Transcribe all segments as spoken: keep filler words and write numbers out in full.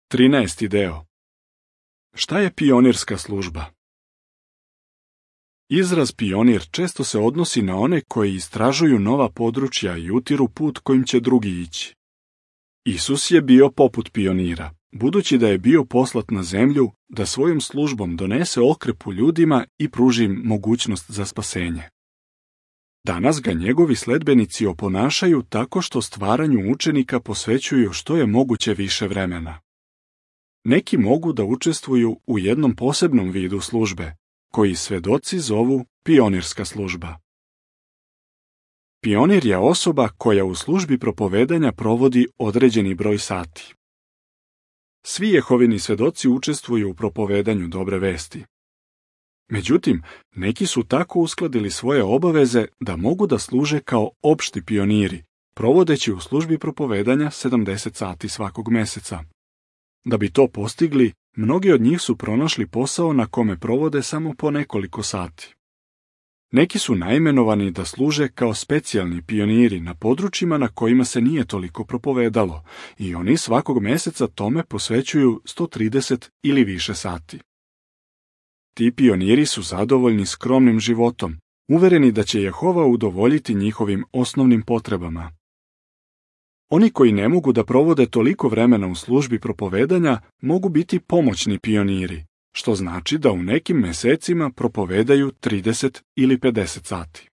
Trinaesti deo. Šta je pionirska služba? Izraz pionir često se odnosi na one koji istražuju nova područja i utiru put kojim će drugi ići. Isus je bio poput pionira, budući da je bio poslat na zemlju da svojom službom donese okrepu ljudima i pruži im mogućnost za spasenje. Danas ga njegovi sledbenici oponašaju tako što stvaranju učenika posvećuju što je moguće više vremena. Neki mogu da učestvuju u jednom posebnom vidu službe, koji svedoci zovu pionirska služba. Pionir je osoba koja u službi propovedanja provodi određeni broj sati. Svi Jehovini svedoci učestvuju u propovedanju dobre vesti. Međutim, neki su tako uskladili svoje obaveze da mogu da služe kao opšti pioniri, provodeći u službi propovedanja sedamdeset sati svakog meseca. Da bi to postigli, mnogi od njih su pronašli posao na kome provode samo po nekoliko sati. Neki su naimenovani da služe kao specijalni pioniri na područjima na kojima se nije toliko propovedalo i oni svakog meseca tome posvećuju sto trideset ili više sati. Ti pioniri su zadovoljni skromnim životom, uvereni da će Jehova udovoljiti njihovim osnovnim potrebama. Oni koji ne mogu da provode toliko vremena u službi propovedanja mogu biti pomoćni pioniri, što znači da u nekim mesecima propovedaju trideset ili pedeset sati.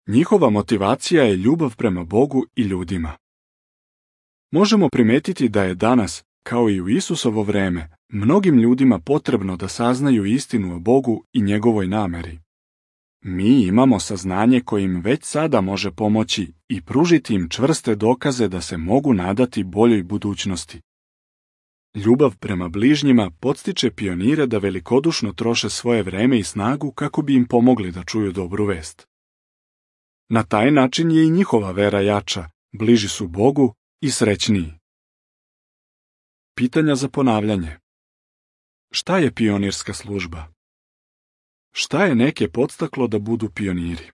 Njihova motivacija je ljubav prema Bogu i ljudima. Možemo primetiti da je danas, kao i u Isusovo vreme, mnogim ljudima potrebno da saznaju istinu o Bogu i njegovoj nameri. Mi imamo saznanje koje im već sada može pomoći i pružiti im čvrste dokaze da se mogu nadati boljoj budućnosti. Ljubav prema bližnjima podstiče pionire da velikodušno troše svoje vreme i snagu kako bi im pomogli da čuju dobru vest. Na taj način je i njihova vera jača, bliži su Bogu i srećniji. Pitanja za ponavljanje. Šta je pionirska služba? Šta je neke podstaklo da budu pioniri?